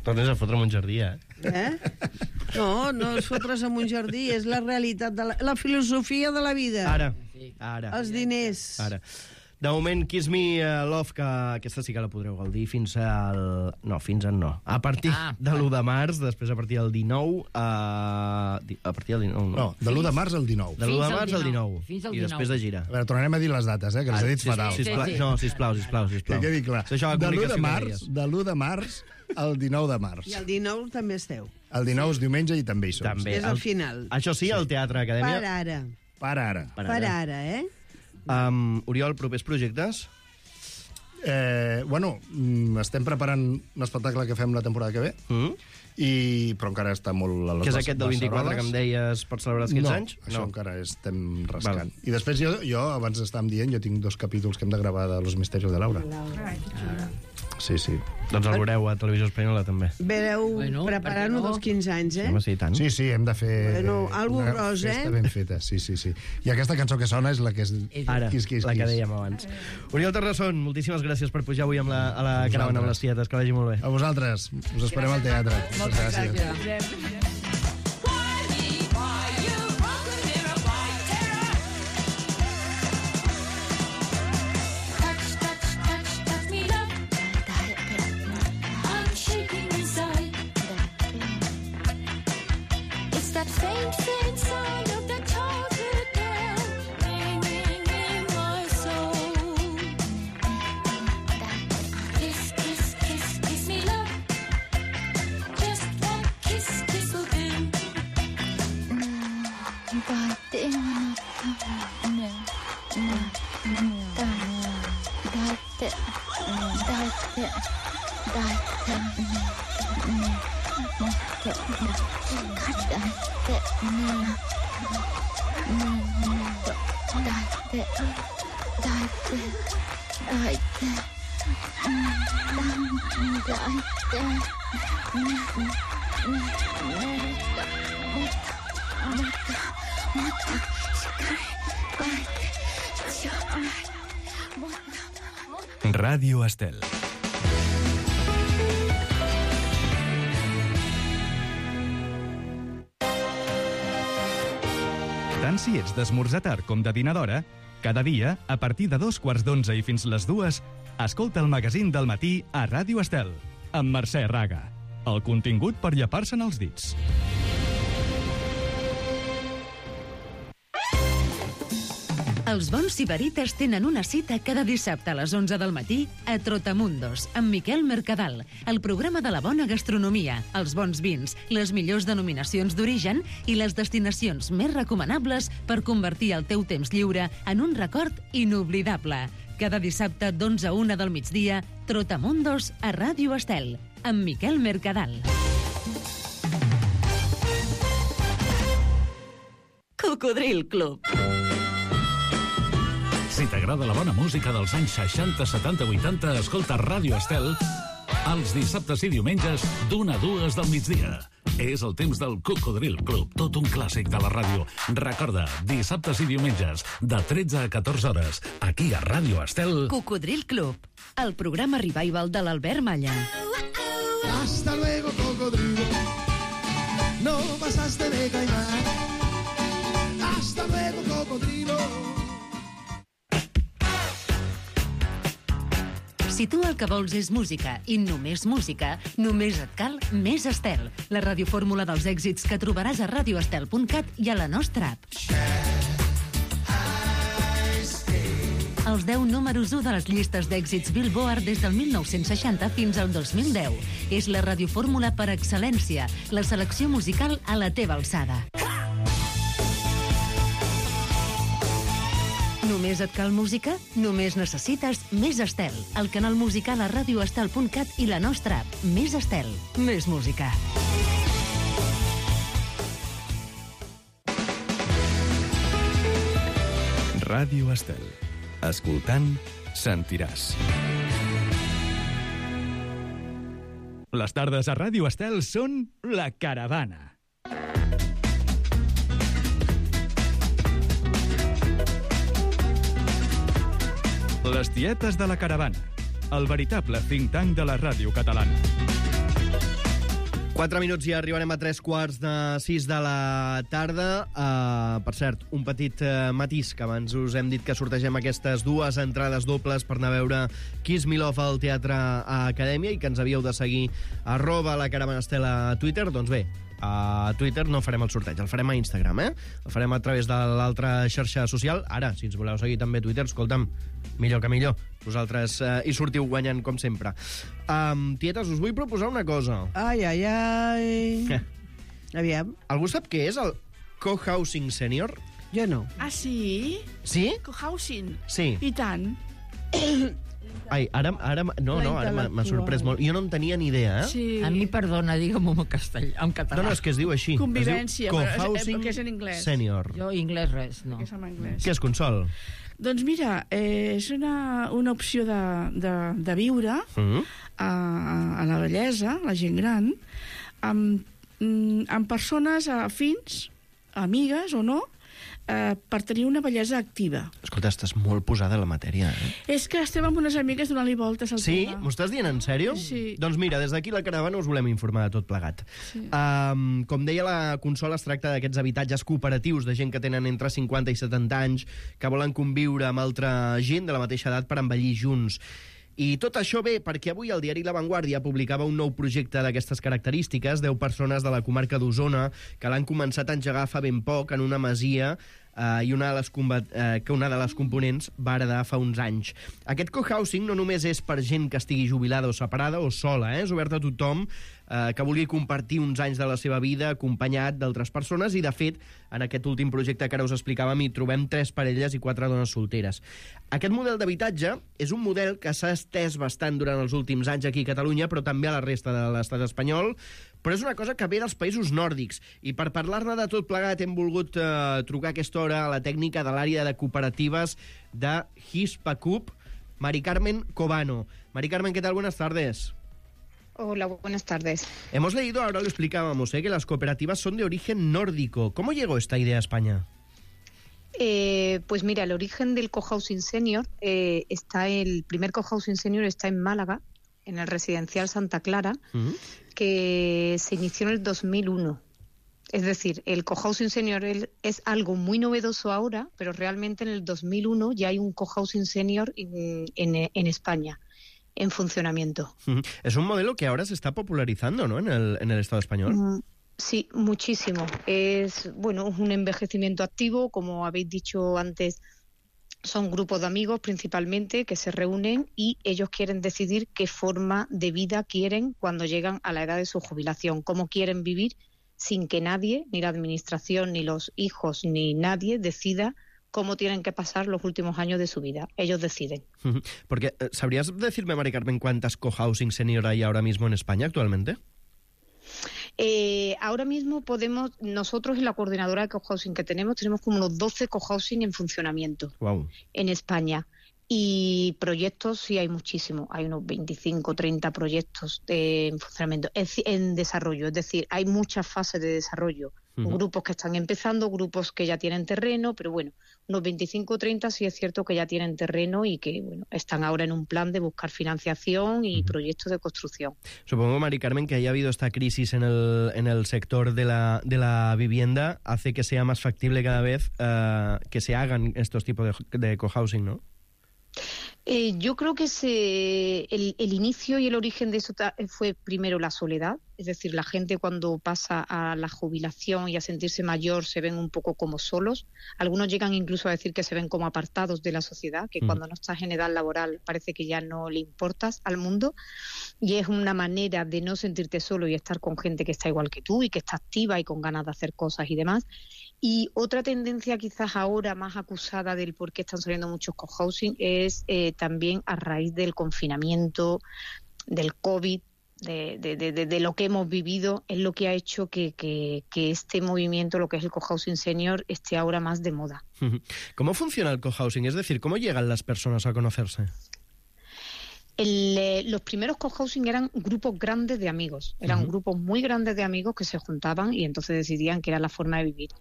Tornes a fotre en un jardí, No és fotre's en un jardí, és la realitat, la filosofia de la vida. Ara. Els diners. Ara. De moment, Kiss Me Love, que aquesta sí que la podreu gaudir fins al... No, fins al no. A partir de l'1 de març, després a partir del 19... A partir del 19, no. No, de l'1 de març al 19. De l'1 de març al 19. Fins al 19. I després de gira. A veure, tornarem a dir les dates, que les he dit fatal. No, sisplau. Que quedi clar. De l'1 de març al 19 de març. I el 19 també esteu. El 19 és diumenge i també hi som. També. És al final. Això sí, al Teatre Acadèmia... Per ara, Oriol, propers projectes? Bueno, estem preparant un espectacle que fem la temporada que ve però encara està molt... Que és aquest del 24 que em deies per celebrar els 15 anys? No, això encara estem rascant. I després jo, abans estàvem dient, jo tinc 2 capítols que hem de gravar de Los Misterios de Laura. Sí. Doncs el veureu a Televisió Espanyola, també. Vereu preparant-ho dels 15 anys, eh? Home, sí, tant. Sí, hem de fer algo gros, festa ben feta. Sí. I aquesta cançó que sona és la que és... Ara, la que dèiem abans. Oriol Terrasson, moltíssimes gràcies per pujar avui a la caravana amb les tietes. Que vagi molt bé. A vosaltres. Us esperem al teatre. Moltes gràcies. Ràdio Estel. Tant si ets d'esmorzar tard com de dinar d'hora, cada dia, a partir de 2:15 i fins les 2, escolta el magazín del matí a Ràdio Estel, amb Mercè Raga. El contingut per llepar-se'n els dits. Els bons sibarites tenen una cita cada dissabte a les 11 del matí a Trotamundos, amb Miquel Mercadal, el programa de la bona gastronomia, els bons vins, les millors denominacions d'origen i les destinacions més recomanables per convertir el teu temps lliure en un record inoblidable. Cada dissabte d'11 a 1 del migdia, Trotamundos a Ràdio Estel, amb Miquel Mercadal. Cocodril Club. Si t'agrada la bona música dels anys 60, 70, 80, escolta Ràdio Estel els dissabtes i diumenges d'1 a 2 del migdia. És el temps del Cocodril Club, tot un clàssic de la ràdio. Recorda, dissabtes i diumenges, de 13 a 14 hores, aquí a Ràdio Estel. Cocodril Club, el programa revival de l'Albert Malla. Hasta luego, cocodrilo. No pasaste de caimán. Hasta luego, cocodrilo. Si tu el que vols és música i només música, només et cal Més Estel, la radiofórmula dels èxits que trobaràs a radioestel.cat i a la nostra app. Els 10 números 1 de les llistes d'èxits Billboard des del 1960 fins al 2010. És la radiofórmula per excel·lència, la selecció musical a la teva alçada. Només et cal música? Només necessites Més Estel, el canal musical a radioestel.cat i la nostra app. Més Estel, més música. Ràdio Estel. Escoltant, sentiràs. Les tardes a Ràdio Estel són La Caravana. Les tietes de la caravana, el veritable think tank de la ràdio catalana. 4 minuts i arribarem a 3:45 de la tarda. Per cert, un petit matís, que abans us hem dit que sortegem aquestes 2 entrades dobles per anar a veure Kiss Me Love al Teatre Acadèmia i que ens havíeu de seguir @laCaravanaStel a Twitter. Doncs bé, a Twitter no farem el sorteig, el farem a Instagram, El farem a través de l'altra xarxa social. Ara, si ens voleu seguir també a Twitter, escolta'm, millor que millor. Vosaltres hi sortiu guanyant, com sempre. Tietes, us vull proposar una cosa. Ai. Aviam. Algú sap què és el cohousing senior? Jo no. Ah, sí? Sí? Cohousing? Sí. I tant. Ai, ara m'ha sorprès molt. Jo no en tenia ni idea, eh? Sí. A mi, perdona, digue'm en català. No, és que es diu així. Convivència, Cohousing que és en anglès. Senior. Jo anglès res, no. Que és en anglès. Què és, Consol? Doncs mira, és una opció de viure a la bellesa, la gent gran, amb persones afins, amigues o no, per tenir una bellesa activa. Escolta, estàs molt posada a la matèria, eh? És que estem amb unes amigues donant-li voltes al Sí? tema. M'ho estàs dient en sèrio? Sí. Doncs mira, des d'aquí la caravana us volem informar de tot plegat. Sí. Com deia la Consol, es tracta d'aquests habitatges cooperatius de gent que tenen entre 50 i 70 anys, que volen conviure amb altra gent de la mateixa edat per envellir junts. I tot això ve perquè avui el diari La Vanguardia publicava un nou projecte d'aquestes característiques, 10 persones de la comarca d'Osona que l'han començat a engegar fa ben poc en una masia i una de les components va heredar fa uns anys. Aquest cohousing no només és per gent que estigui jubilada o separada o sola, és obert a tothom que vulgui compartir uns anys de la seva vida acompanyat d'altres persones i, de fet, en aquest últim projecte que ara us explicàvem hi trobem 3 parelles i 4 dones solteres. Aquest model d'habitatge és un model que s'ha estès bastant durant els últims anys aquí a Catalunya, però també a la resta de l'estat espanyol, però és una cosa que ve dels països nòrdics. I per parlar-ne de tot plegat hem volgut trucar a aquesta hora a la tècnica de l'àrea de cooperatives de Hispacup, Mari Carmen Cobano. Mari Carmen, ¿qué tal? Buenas tardes. Hola, buenas tardes. Hemos leído, ahora lo explicábamos, que las cooperativas son de origen nórdico. ¿Cómo llegó esta idea a España? Pues mira, el origen del cohousing senior el primer cohousing senior está en Málaga, en el residencial Santa Clara, que se inició en el 2001. Es decir, el cohousing senior es algo muy novedoso ahora, pero realmente en el 2001 ya hay un cohousing senior en España en funcionamiento. Es un modelo que ahora se está popularizando, ¿no?, en el Estado español. Sí, muchísimo. Es un envejecimiento activo, como habéis dicho antes. Son grupos de amigos principalmente que se reúnen y ellos quieren decidir qué forma de vida quieren cuando llegan a la edad de su jubilación, cómo quieren vivir sin que nadie, ni la administración, ni los hijos, ni nadie decida cómo tienen que pasar los últimos años de su vida. Ellos deciden. Porque, ¿sabrías decirme, Mari Carmen, cuántas cohousing senior hay ahora mismo en España actualmente? Ahora mismo nosotros en la coordinadora de cohousing que tenemos como unos 12 cohousing en funcionamiento en España. Y proyectos sí hay muchísimos, hay unos 25, 30 proyectos en funcionamiento, en desarrollo, es decir, hay muchas fases de desarrollo, grupos que están empezando, grupos que ya tienen terreno, pero unos 25 o 30 sí es cierto que ya tienen terreno y que están ahora en un plan de buscar financiación y proyectos de construcción. Supongo, Mari Carmen, que haya habido esta crisis en el sector de la vivienda, hace que sea más factible cada vez que se hagan estos tipos de cohousing, ¿no? Yo creo que el inicio y el origen de eso fue primero la soledad, es decir, la gente cuando pasa a la jubilación y a sentirse mayor se ven un poco como solos. Algunos llegan incluso a decir que se ven como apartados de la sociedad, que cuando no estás en edad laboral parece que ya no le importas al mundo, y es una manera de no sentirte solo y estar con gente que está igual que tú y que está activa y con ganas de hacer cosas y demás. Y otra tendencia quizás ahora más acusada del por qué están saliendo muchos cohousing es también a raíz del confinamiento, del COVID, de lo que hemos vivido, es lo que ha hecho que este movimiento, lo que es el cohousing senior, esté ahora más de moda. ¿Cómo funciona el cohousing? Es decir, ¿cómo llegan las personas a conocerse? Los primeros cohousing eran grupos grandes de amigos, eran grupos muy grandes de amigos que se juntaban y entonces decidían que era la forma de vivir.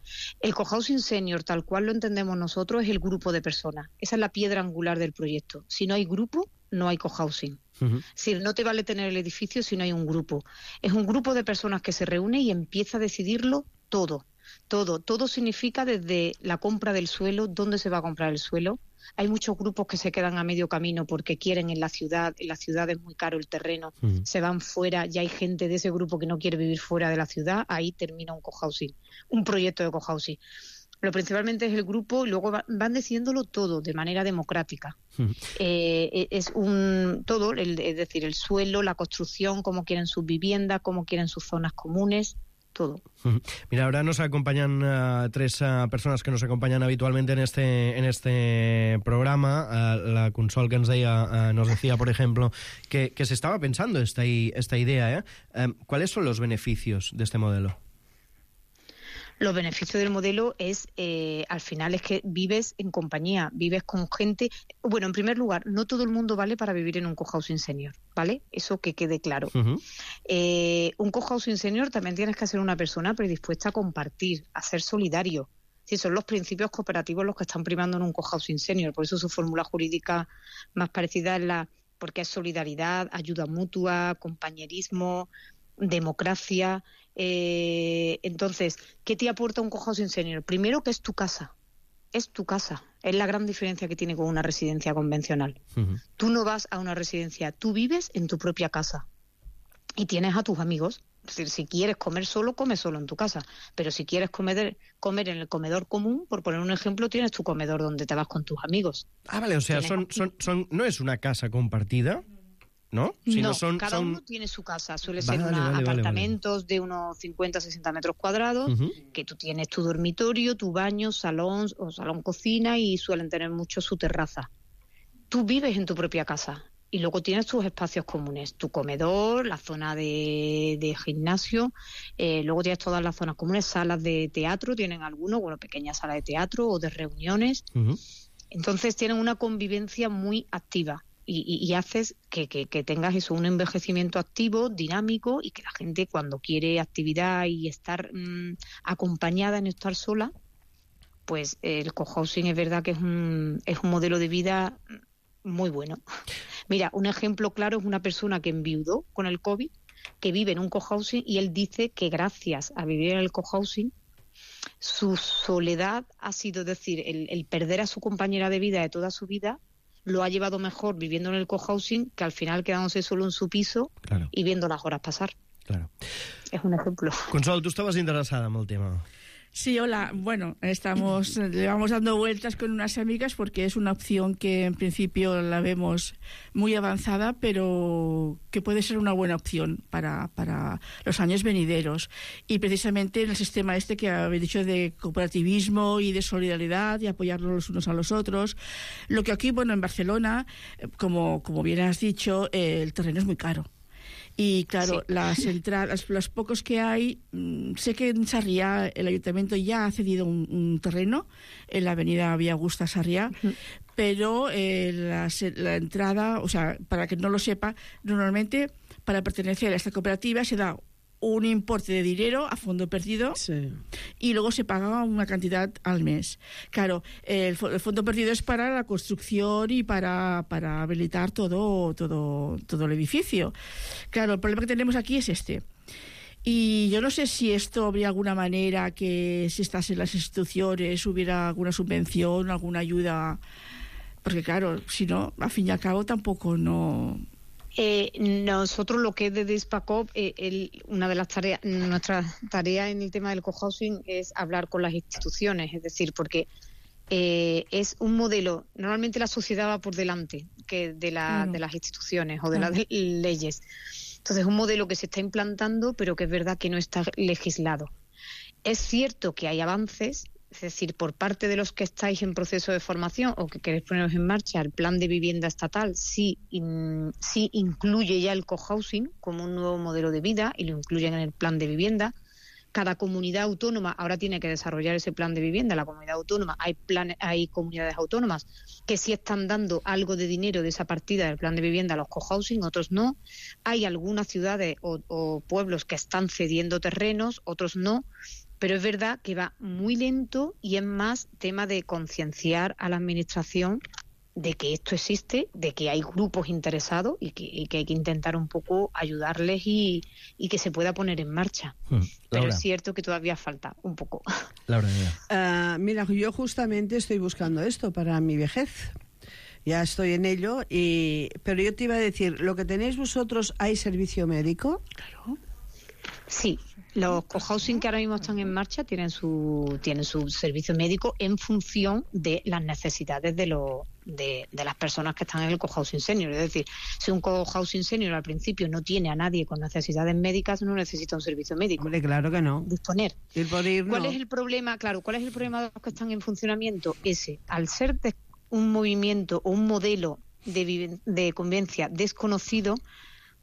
El cohousing senior, tal cual lo entendemos nosotros, es el grupo de personas. Esa es la piedra angular del proyecto. Si no hay grupo, no hay cohousing. Es decir, no te vale tener el edificio si no hay un grupo. Es un grupo de personas que se reúne y empieza a decidirlo todo. Todo significa desde la compra del suelo, dónde se va a comprar el suelo. Hay muchos grupos que se quedan a medio camino porque quieren en la ciudad es muy caro el terreno, se van fuera, ya hay gente de ese grupo que no quiere vivir fuera de la ciudad, ahí termina un cohousing, un proyecto de cohousing. Lo principalmente es el grupo y luego van decidiéndolo todo de manera democrática. Es decir, el suelo, la construcción, cómo quieren sus viviendas, cómo quieren sus zonas comunes. todo. Mira, ahora nos acompañan tres personas que nos acompañan habitualmente en este programa. La Consol que nos decía, por ejemplo, que se estaba pensando esta idea. ¿Cuáles son los beneficios de este modelo? Los beneficios del modelo es, al final, es que vives en compañía, vives con gente. Bueno, en primer lugar, no todo el mundo vale para vivir en un cohousing senior, ¿vale? Eso que quede claro. Un cohousing senior también tienes que ser una persona predispuesta a compartir, a ser solidario. Sí, son los principios cooperativos los que están primando en un cohousing senior, por eso su fórmula jurídica más parecida es porque es solidaridad, ayuda mutua, compañerismo, democracia. Entonces, ¿qué te aporta un cohousing senior? Primero, que es tu casa. Es tu casa. Es la gran diferencia que tiene con una residencia convencional. Tú no vas a una residencia, tú vives en tu propia casa y tienes a tus amigos. Es decir, si quieres comer solo, come solo en tu casa. Pero si quieres comer en el comedor común, por poner un ejemplo, tienes tu comedor donde te vas con tus amigos. Vale, o sea, no es una casa compartida, ¿no? Cada uno tiene su casa. Suele ser apartamentos de unos 50-60 metros cuadrados, que tú tienes tu dormitorio, tu baño, salón o salón-cocina, y suelen tener mucho su terraza. Tú vives en tu propia casa y luego tienes tus espacios comunes, tu comedor, la zona de gimnasio, luego tienes todas las zonas comunes, salas de teatro, tienen algunos, pequeñas salas de teatro o de reuniones. Entonces tienen una convivencia muy activa. Y haces que tengas eso, un envejecimiento activo, dinámico, y que la gente, cuando quiere actividad y estar acompañada en estar sola, pues el cohousing es verdad que es un modelo de vida muy bueno. Mira, un ejemplo claro es una persona que enviudó con el COVID, que vive en un cohousing, y él dice que gracias a vivir en el cohousing, su soledad ha sido, es decir, el perder a su compañera de vida de toda su vida, lo ha llevado mejor viviendo en el cohousing que al final quedándose solo en su piso y viendo las horas pasar. Claro. Es un ejemplo. Consol, tú estabas interesada en el tema. Sí, hola. Bueno, le vamos dando vueltas con unas amigas porque es una opción que en principio la vemos muy avanzada, pero que puede ser una buena opción para los años venideros. Y precisamente en el sistema que habéis dicho de cooperativismo y de solidaridad y apoyarnos los unos a los otros. Lo que aquí, en Barcelona, como bien has dicho, el terreno es muy caro. Y claro, las entradas, los pocos que hay, sé que en Sarriá el ayuntamiento ya ha cedido un terreno en la avenida Vía Augusta Sarriá, pero la entrada, o sea, para que no lo sepa, normalmente para pertenecer a esta cooperativa se da un importe de dinero a fondo perdido y luego se paga una cantidad al mes. Claro, el fondo perdido es para la construcción y para habilitar todo el edificio. Claro, el problema que tenemos aquí es este. Y yo no sé si esto habría alguna manera que, si estás en las instituciones, hubiera alguna subvención, alguna ayuda, porque claro, si no, al fin y al cabo tampoco no... Nosotros, lo que es de Despacop, una de las tareas, nuestra tarea en el tema del cohousing es hablar con las instituciones, es decir, porque es un modelo, normalmente la sociedad va por delante de las instituciones o de las leyes. Entonces es un modelo que se está implantando, pero que es verdad que no está legislado. Es cierto que hay avances. Es decir, por parte de los que estáis en proceso de formación o que queréis poneros en marcha, el plan de vivienda estatal sí incluye ya el cohousing como un nuevo modelo de vida y lo incluyen en el plan de vivienda. Cada comunidad autónoma ahora tiene que desarrollar ese plan de vivienda. La comunidad autónoma, hay comunidades autónomas que sí están dando algo de dinero de esa partida del plan de vivienda a los cohousing, otros no. Hay algunas ciudades o pueblos que están cediendo terrenos, otros no. Pero es verdad que va muy lento y es más tema de concienciar a la administración de que esto existe, de que hay grupos interesados y que hay que intentar un poco ayudarles y que se pueda poner en marcha. Pero es cierto que todavía falta un poco. Laura, mira, yo justamente estoy buscando esto para mi vejez. Ya estoy en ello, pero yo te iba a decir, ¿lo que tenéis vosotros, hay servicio médico? Claro. Sí, los cohousing que ahora mismo están en marcha tienen su servicio médico en función de las necesidades de las personas que están en el cohousing senior. Es decir, si un cohousing senior al principio no tiene a nadie con necesidades médicas, no necesita un servicio médico. Hombre, claro que no. Disponer. Ir por ir, ¿Cuál no. es el problema? Claro, ¿cuál es el problema de los que están en funcionamiento? Ese, al ser un movimiento o un modelo de convivencia desconocido,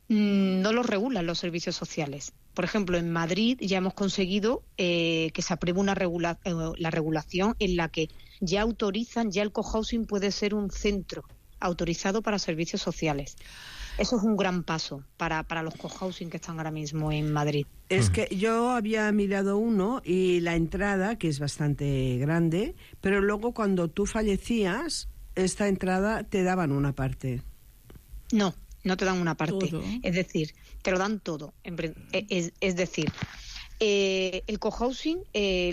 no lo regulan los servicios sociales. Por ejemplo, en Madrid ya hemos conseguido que se apruebe la regulación en la que ya el cohousing puede ser un centro autorizado para servicios sociales. Eso es un gran paso para los cohousing que están ahora mismo en Madrid. Es que yo había mirado uno y la entrada, que es bastante grande, pero luego cuando tú fallecías, esta entrada te daban una parte. No te dan una parte. Todo. Es decir, te lo dan todo. Es decir, el cohousing,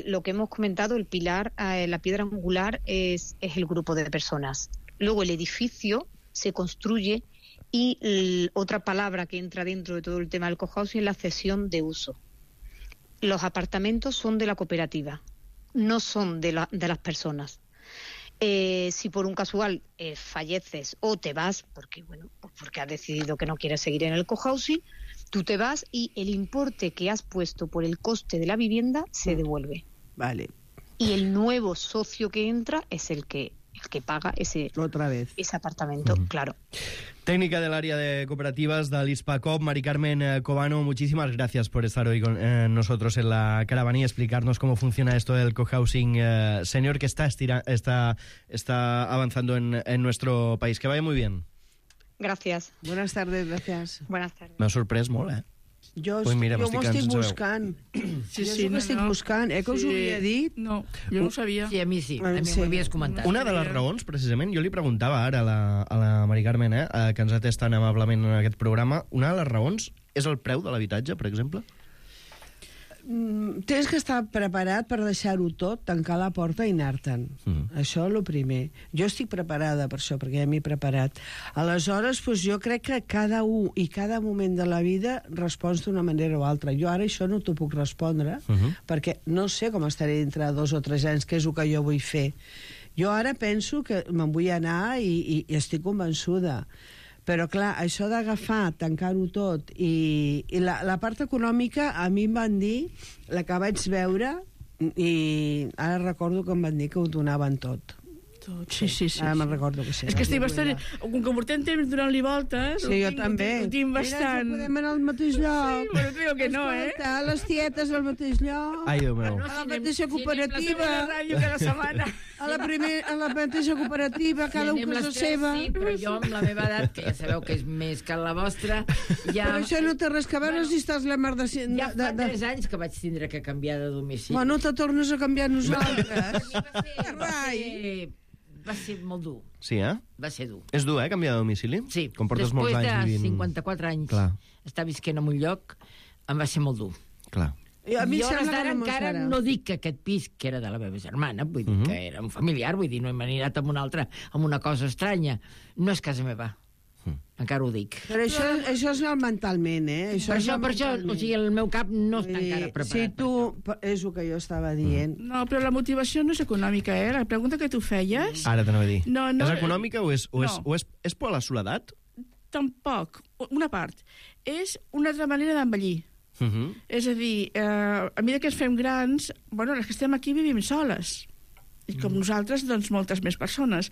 lo que hemos comentado, el pilar, la piedra angular es el grupo de personas. Luego el edificio se construye y otra palabra que entra dentro de todo el tema del cohousing es la cesión de uso. Los apartamentos son de la cooperativa, no son de las personas. Si por un casual falleces o te vas, porque has decidido que no quieres seguir en el cohousing, tú te vas y el importe que has puesto por el coste de la vivienda se devuelve. Vale. Y el nuevo socio que entra es el que paga ese apartamento, claro. Técnica del área de cooperativas de l'ISPACOP, Mari Carmen Cobano, muchísimas gracias por estar hoy con nosotros en la caravana y explicarnos cómo funciona esto del cohousing senior que está avanzando en nuestro país. Que vaya muy bien. Gracias. Buenas tardes, gracias. Buenas tardes. M'ha sorprès molt, Jo Pues mira, m'ho estic buscant. Sí, Jo m'ho estic buscant. Que us ho havia dit? No, jo no ho sabia. Sí, a mi sí. A mi m'ho havies comentat. Una de les raons, precisament, jo li preguntava ara a la Mari Carmen, que ens atès tan amablement en aquest programa, una de les raons és el preu de l'habitatge, per exemple? Tens que estar preparat per deixar-ho tot, tancar la porta i anar-te'n. Això és el primer. Jo estic preparada per això, perquè ja m'he preparat. Aleshores, doncs, jo crec que cada un i cada moment de la vida respons d'una manera o altra. Jo ara això no t'ho puc respondre, perquè no sé com estaré dintre de 2 o 3 anys, que és el que jo vull fer. Jo ara penso que me'n vull anar i estic convençuda. Però, clar, això d'agafar, tancar-ho tot, i la part econòmica, a mi em van dir, la que vaig veure, i ara recordo que em van dir que ho donaven tot. Sí. Ara me'n recordo que sí. És que estic bastant... Com que portem temps donant-li voltes... Sí, jo també. Ho tinc bastant... Mira, podem anar al mateix lloc. Sí, però crec que no, Escolta, les tietes al mateix lloc. Ai, Déu meu. A la mateixa cooperativa. A la ràdio cada setmana. A la mateixa cooperativa, cada un casa seva. Sí, però jo amb la meva edat, que ja sabeu que és més que la vostra, ja... Però això no té res que veure si estàs la mar de... Ja fa 3 anys que vaig tindre que canviar de domicili. Bueno, te tornes a canviar nosaltres. Va ser molt dur. Sí, Va ser dur. És dur, canviar de domicili? Sí. Com portes molts anys Després de vivint... 54 anys Clar. estar visquent en un lloc, em va ser molt dur. Clar. A mi jo sembla d'ara que encara no dic que aquest pis, que era de la meva germana, vull dir que era un familiar, vull dir, no hem anirat amb una altra, amb una cosa estranya. No és casa meva. Encara ho dic. Però això és mentalment, Per això, o sigui, el meu cap no està encara preparat. Si tu... És el que jo estava dient. No, però la motivació no és econòmica, La pregunta que tu feies... Ara t'anava a dir. No, és econòmica o és por a la soledat? Tampoc. Una part. És una altra manera d'envellir. És a dir, a mesura que ens fem grans, les que estem aquí vivim soles. I com nosaltres, doncs, moltes més persones.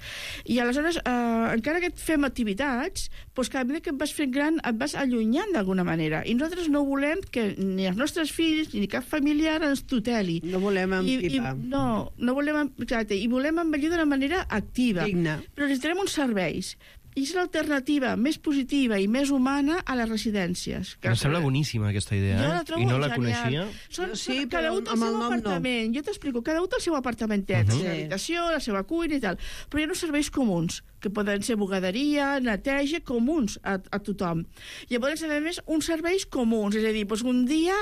I aleshores, encara que et fem activitats, doncs cada vegada que et vas fent gran et vas allunyant d'alguna manera. I nosaltres no volem que ni els nostres fills ni cap familiar ens tuteli. No volem empipar. No volem... Exacte, i volem envellir d'una manera activa. Digna. Però necessitarem uns serveis. I és l'alternativa més positiva i més humana a les residències. Em sembla boníssima aquesta idea, Jo la trobo i no la genial. coneixia. Cada un té el seu apartament. Jo t'explico, cada un té el seu apartamentet, la seva habitació, la seva cuina i tal. Però hi ha uns serveis comuns, que poden ser bugaderia, neteja, comuns a tothom. Llavors, a més, uns serveis comuns, és a dir, un dia,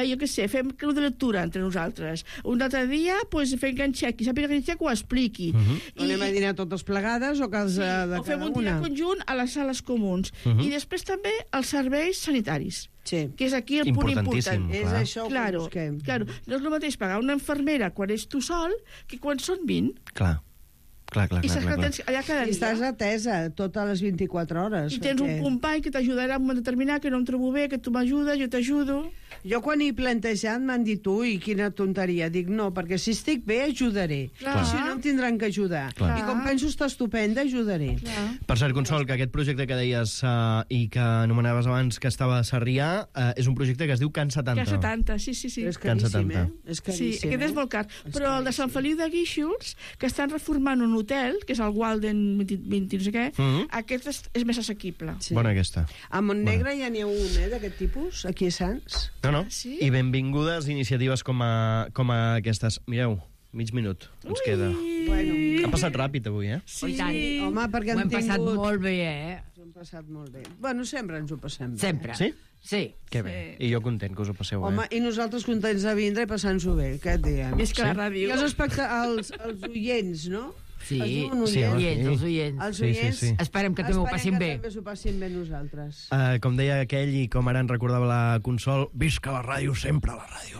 jo què sé, fem club de lectura entre nosaltres. Un altre dia, fem ganxec, i sàpiga ganxec ho expliqui. Anem a dinar totes plegades o casa de cada una? O fem un dia treball conjunt a les sales comuns. I després també els serveis sanitaris. Sí. Que és aquí el punt important. És això que busquem. Claro. No és el mateix pagar una infermera quan ets tu sol que quan són 20. Clar. I saps que tens allà cada dia. I estàs atesa totes les 24 hores. I tens un company que t'ajudarà en un moment determinat, que no em trobo bé, que tu m'ajudes, jo t'ajudo. Jo quan he plantejat m'han dit, ui, quina tonteria. Dic, no, perquè si estic bé ajudaré. Si no em tindran que ajudar. I com penso estar estupenda, ajudaré. Per cert, Consol, que aquest projecte que deies i que anomenaves abans que estava a Sarrià és un projecte que es diu Can 70. Can 70, sí. És caríssim, És caríssim, sí, aquest és molt car. Però el de Sant Feliu de Guíxols, que estan reformant un hotel, que és el Walden 20 no sé què, aquest és més assequible. Bona aquesta. A Montnegre ja n'hi ha un, d'aquest tipus, aquí a Sants. No. I benvingudes iniciatives com aquestes. Mireu, mig minut ens queda. Ha passat ràpid avui, Sí. Home, perquè ho hem passat molt bé, Ho hem passat molt bé. Bueno, sempre ens ho passem bé. Sempre. Sí? Sí. Que bé. I jo content que us ho passeu bé. Home, i nosaltres contents de vindre i passant-s'ho bé, què et diem? Visca la ràdio. I els oients, no? Sí, els oients. Esperem que també ho passin bé. Esperem que també s'ho passin bé nosaltres. Com deia aquell i com ara en recordava la Consol, visca la ràdio, sempre la ràdio.